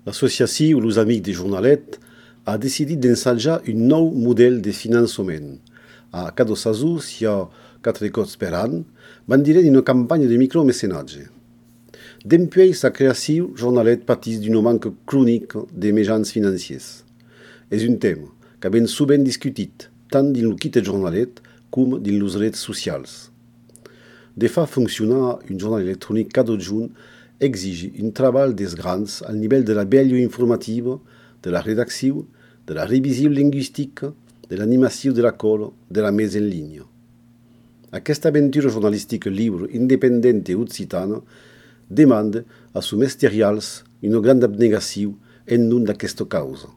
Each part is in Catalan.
L'associació Los Amics de Jornalet ha decidit d'ensajar un nou model de finançament. A cada saison, hi ha 4 cops per an, van direm una campanya de micromecenatge. Dempuèi sa creació, Jornalet patís d'un manque crònic de mitjans financiers. És un tema que ben souvent discutit, tant dins el kit de Jornalet com dins les redes socials. De fa funcionar un jornal electrònic cada juny exige un treball des grans al nivell de la vella informativa, de la redacció, de la revisió lingüística, de l'animació de l'acord, de la mesa en línia. Aquesta aventura jornalística lliure, independent i occitana demanda a sus materials una gran abnegació en nom d'aquesta causa.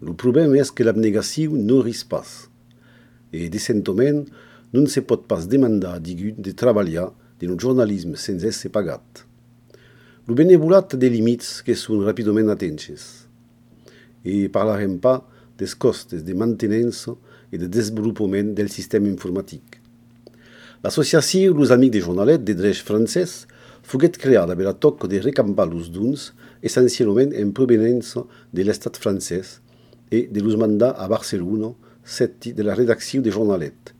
El problema és que l'abnegació no risc pas, i decentament no se pot pas demandar a digun de treballar en un journalisme sense ser pagat. El benevolat té límits que són ràpidament atints. I parlarem pas des costes de mantenença i de desenvolupament del sistema informàtic. L'associació Los Amics de Jornalet de dret francès foguet creada per a toc de recampar els dons essencialment en provenença de l'estat francès i de los mandats a Barcelona, seti de la redacció de Jornalet.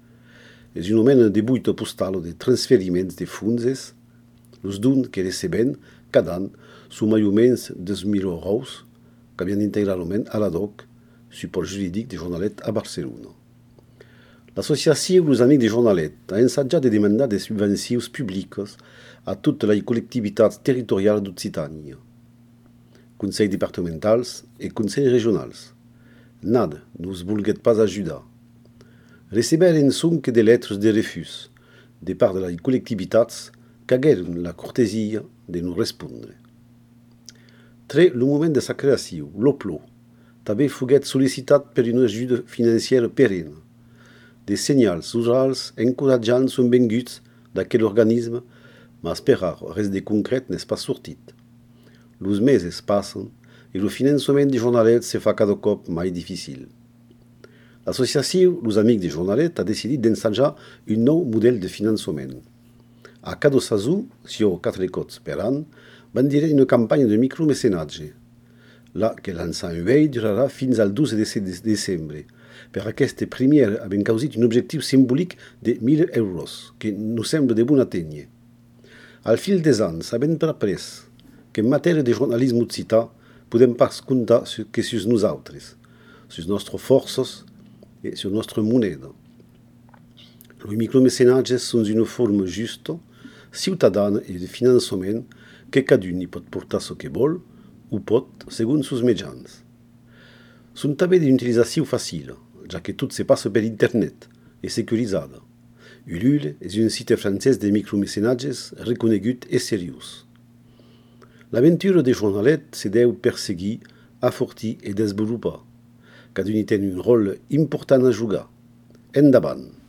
És un moment de buita postal de transferiments de fons, els dons que receben cada any són més o menys 2.000 euros, que havien integralment a l'ADOC, suport jurídic de Jornalet a Barcelona. L'associació Los Amics de Jornalet ha ensajat de demandar des subvencions públiques a totes les col·lectivitats territorials d'Occitània, consells departamentals i consells regionals. Nada nos volguet pas ajudar. Receberen sonque de lettres de refús de part de les col·lectivitats que hagueren la cortesia de nos respondre. Tre el moment de sa creació, l'OPLO, també foguet sol·licitat per una ajuda financiera perenne. Des senyals orals encoratjants són venguts d'aquest organisme, mas per ara res de concret n'és pas sortit. Los mesos passen i el finançament de Jornalet se fa cada cop més difícil. L'associació Los Amics de Jornalet ha decidit d'ensajar un nou model de finançament. A cada saison, sur 4 cops per an, van dir una campanya de micromecenatge, la que l'ençant vell durarà fins al 12 de desembre. Per aquest primer havent causat un objectiu simbòlic de 1.000 euros, que no sembla de bon atènyer. Al fil des anys, havent après que en matèria de journalisme occità podem pas comptar que sus nosaltres, sus nostres forces i sur nostra moneda. Els micromecenatges són una forma justa, ciutadana i de finançament que cadun hi pot portar ce que vol o pot segons sus mitjans. Són també d'utilització fàcil, ja que tot se passa per internet i securisada. Ulule és un site francès de micromecenatges reconegut i seriós. L'aventura de Jornalet se deu perseguir, afortir i desenvolupar. Cadun hi té un rol important a jugar. Endavant!